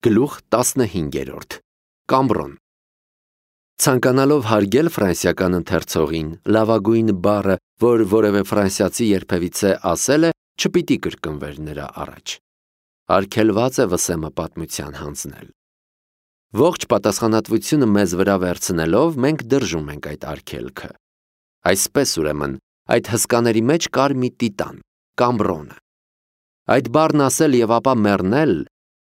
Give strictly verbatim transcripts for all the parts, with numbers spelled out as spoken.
Գլուխ տասնհինգերորդ Կամբրոն Ցանկանալով հարգել ֆրանսիական ընթերցողին, լավագույն բառը, որ որևէ ֆրանսիացի երբևիցե ասել է, չպիտի կրկնվեր նրա առաջ։ Արգելված է վսեմը պատմության հանձնել։ Ողջ պատասխանատվությունը մեզ վրա վերցնելով, մենք դրժում ենք այդ արգելքը։ Այսպես ուրեմն, այդ հսկաների մեջ կար մի տիտան, Կամբրոնը։ Այդ բառն ասել և ապա մեռնել,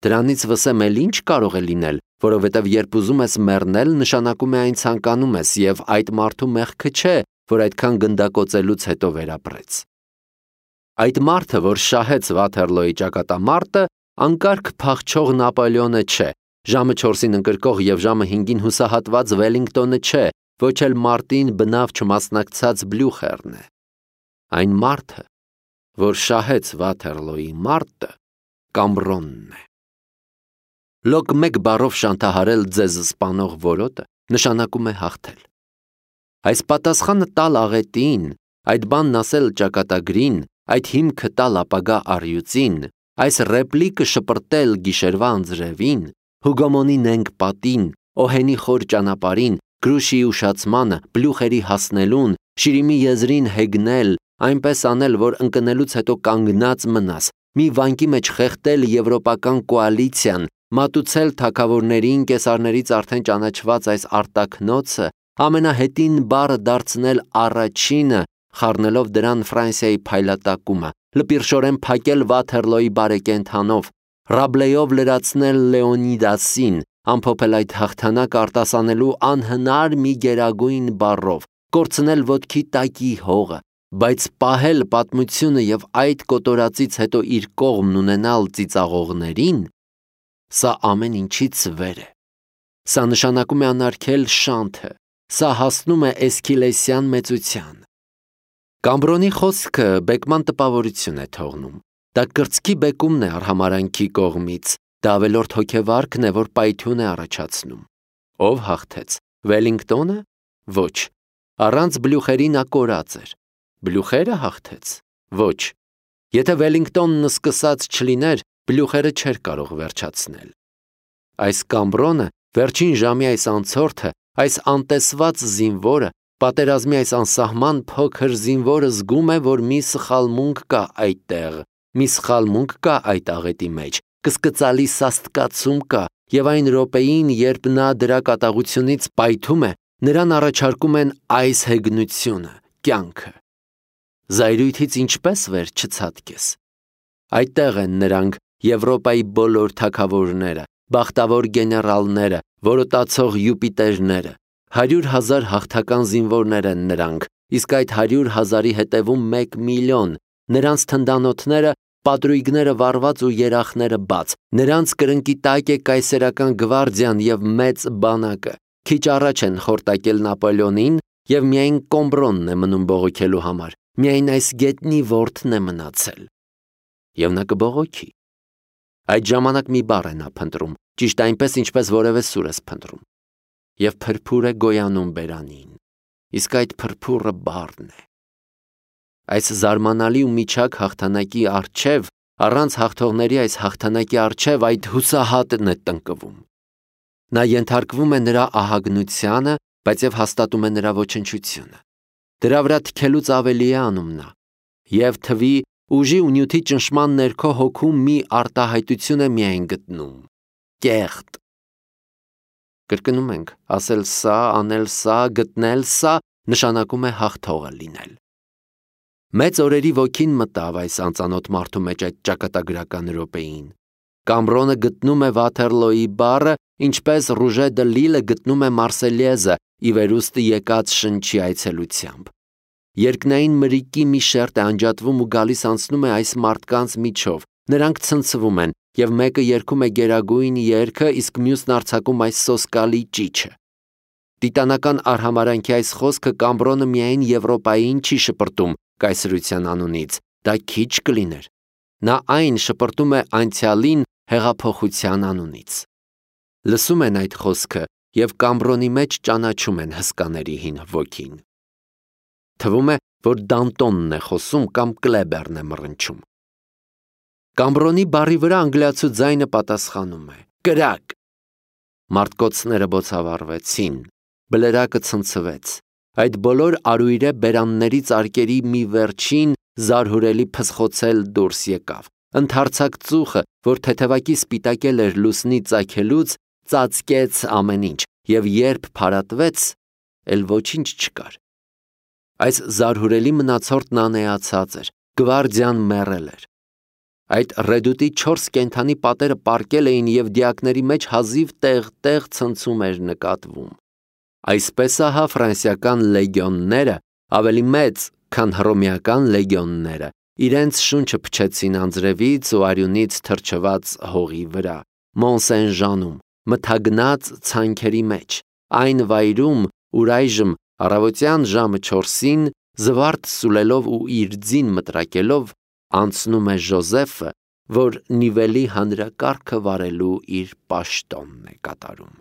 դրանից վսեմ էլ ինչ կարող է լինել, որովհետև երբ ուզում ես մեռնել, նշանակում է այն ցանկանում ես և այդ մարդու մեղքը չէ, որ այդքան գնդակոծելուց հետո վերապրեց։ Այդ մարդը, որ շահեց Վաթերլոյի ճակատամարտը, անկարգ փախչող Նապոլեոնը չէ, ժամը չորսին ընկրկող և ժամը հինգին հուսահատված Վելլինգտոնը չէ, ոչ էլ մարտին բնավ չմասնակցած Բլյուխերն է։ Այն մարդը, որ շահեց Վաթերլոյի մարտը, Կամբրոնն է։ Լոկ մեկ բառով շանթահարել ձեզ սպանող որոտը նշանակում է հաղթել։ Այս պատասխանը տալ աղետին, այդ բանն ասել ճակատագրին, այդ հիմքը տալ ապագա առյուծին, այս ռեպլիկը շպրտել գիշերվա անձրևին, Հուգոմոնի նենգ պատին, Օհենի խոր ճանապարհին, Գրուշիի ուշացմանը, Բլյուխերի հասնելուն, Շիրիմի եզրին հեգնել, այնպես անել, որ ընկնելուց հետո կանգնած մնաս, մի վանկի մեջ խեղդել եվրոպական կոալիցիան, մատուցել թագավորներին, կեսարներից արդեն ճանաչված այս արտաքնոցը, ամենահետին բառը դարձնել առաջինը, խառնելով դրան Ֆրանսիայի փայլատակումը, լպիրշորեն փակել Վաթերլոյի բարեկենդանով, Ռաբլեյով լրացնել Լեոնիդասին, ամփոփել այդ հաղթանակը արտասանելու անհնար մի գերագույն բառով, կորցնել ոտքի տակի հողը, բայց պահել պատմությունը և այդ կոտորածից հետո իր կողմն ունենալ ծիծաղողներին, սա ամեն ինչից վեր է։ Սա նշանակում է անարգել շանթը, սա հասնում է Էսքիլեսյան մեծության։ Կամբրոնի խոսքը բեկման տպավորություն է թողնում, դա կրծքի բեկումն է արհամարհանքի կողմից, դա ավելորդ հոգեվարքն է, որ պայթյուն է առաջացնում։ Ով հաղթեց, Վելլինգտոնը։ Ոչ, առանց Բլյուխերի նա կորած էր։ Բլյուխերը հաղթեց։ Ոչ, եթե Վելլինգտոնն սկսած չլիներ, Բլյուխերը չէր կարող վերջացնել։ Այս Կամբրոնը, վերջին ժամի այս անցորդը, այս անտեսված զինվորը, պատերազմի այս անսահման փոքր զինվորը զգում է, որ մի սխալմունք կա այդտեղ, մի սխալմունք կա այդ աղետի մեջ, կսկծալի սաստկացում կա, և այն րոպեին, երբ նա դրա կատաղությունից պայթում է, նրան առաջարկում են այս հեգնությունը, կյանքը։ Զայրույթից ինչպես վեր չցատկես։ Այդտեղ են նրանք, Եվրոպայի բոլոր թագավորները, բախտավոր գեներալները, որոտացող Յուպիտերները, հարյուր հազար հաղթական զինվորներ են նրանք, իսկ այդ հարյուր հազարի հետևում մեկ միլիոն, նրանց թնդանոթները, պատրույգները վառված ու երախները բաց, նրանց կրնկի տակ է կայսերական գվարդիան և մեծ բանակը, քիչ առաջ են խորտակել Նապոլեոնին և միայն Կամբրոնն է մնում բողոքելու համար, միայն այս գետնի որդն է մնացել։ Եվ նա կբողոքի։ Այդ ժամանակ մի բառ է նա փնտրում, ճիշտ այնպես, ինչպես որևէ սուր ես փնտրում, և փրփուր է գոյանում բերանին, իսկ այդ փրփուրը բառն է։ Այս զարմանալի ու միջակ հաղթանակի առջև, առանց հաղթողների այս հաղթանակի առջև այդ հուսահատն է տնկվում։ Նա ենթարկվում է նրա ահագնությանը, բայց և հաստատում է նրա ոչնչությունը։ Դրա վրա թքելուց ավելի է անում նա, և թվի ուժի ու նյութի ճնշման ներքո հոգում մի արտահայտություն է միայն գտնում՝ կեղտ։ Կրկնում ենք, ասել սա, անել սա, գտնել սա, նշանակում է հաղթողը լինել։ Մեծ օրերի ոգին մտավ այս անծանոթ մարդու մեջ այդ ճակատագրական րոպեին։ Կամբրոնը գտնում է Վաթերլոյի բառը, ինչպես Ռուժե դը Լիլը գտնում է Մարսելիեզը ի վերուստ եկած շնչի այցելությամբ։ Երկնային մրրիկի մի շերտ է անջատվում ու գալիս անցնում է այս մարդկանց միջով, նրանք ցնցվում են, և մեկը երգում է գերագույն երգը, իսկ մյուսն արձակում այս սոսկալի ճիչը։ Տիտանական արհամարհանքի այս խոսքը Կամբրոնը միայն Եվրոպային չի շպրտում կայսրության անունից, դա քիչ կլիներ։ Նա այն շպրտում է անցյալին հեղափոխության անունից։ Լսում են այդ խոսքը և Կամբրոնի մեջ ճանաչում են հսկաների հին ոգին։ Թվում է, որ Դանտոնն է խոսում կամ Կլեբերն է մռնչում։ Կամբրոնի բառի վրա անգլիացու ձայնը պատասխանում է. կրակ։ Մարդկոցները բոցավառվեցին, բլրակը ցնցվեց։ Այդ բոլոր արույրե բերաններից արկերի մի վերջին զարհուրելի փսխոցել դուրս եկավ։ Ընդարձակ ծուխը, որ թեթևակի սպիտակել էր լուսնի ծագելուց, ծածկեց ամեն ինչ, և երբ փարատվեց, էլ ոչինչ չկար։ Այս զարհուրելի մնացորդն անեացած էր, գվարդիան մեռել էր։ Այդ ռեդուտի չորս կենդանի պատերը պառկել էին և դիակների մեջ հազիվ տեղ-տեղ ցնցում էր նկատվում։ Այսպես ահա ֆրանսիական լեգիոնները, ավելի մեծ, քան հռոմեական լեգիոնները, իրենց շունչը փչեցին անձրևից ու արյունից թրջված հողի վրա, Մոն-Սեն-Ժանում, մթագնած ցանքերի մեջ, այն վայրում, ուր այժմ առավոտյան ժամը չորսին, զվարթ սուլելով ու իր ձին մտրակելով, անցնում է Ժոզեֆը, որ Նիվելի հանրակարգը վարելու իր պաշտոնն է կատարում։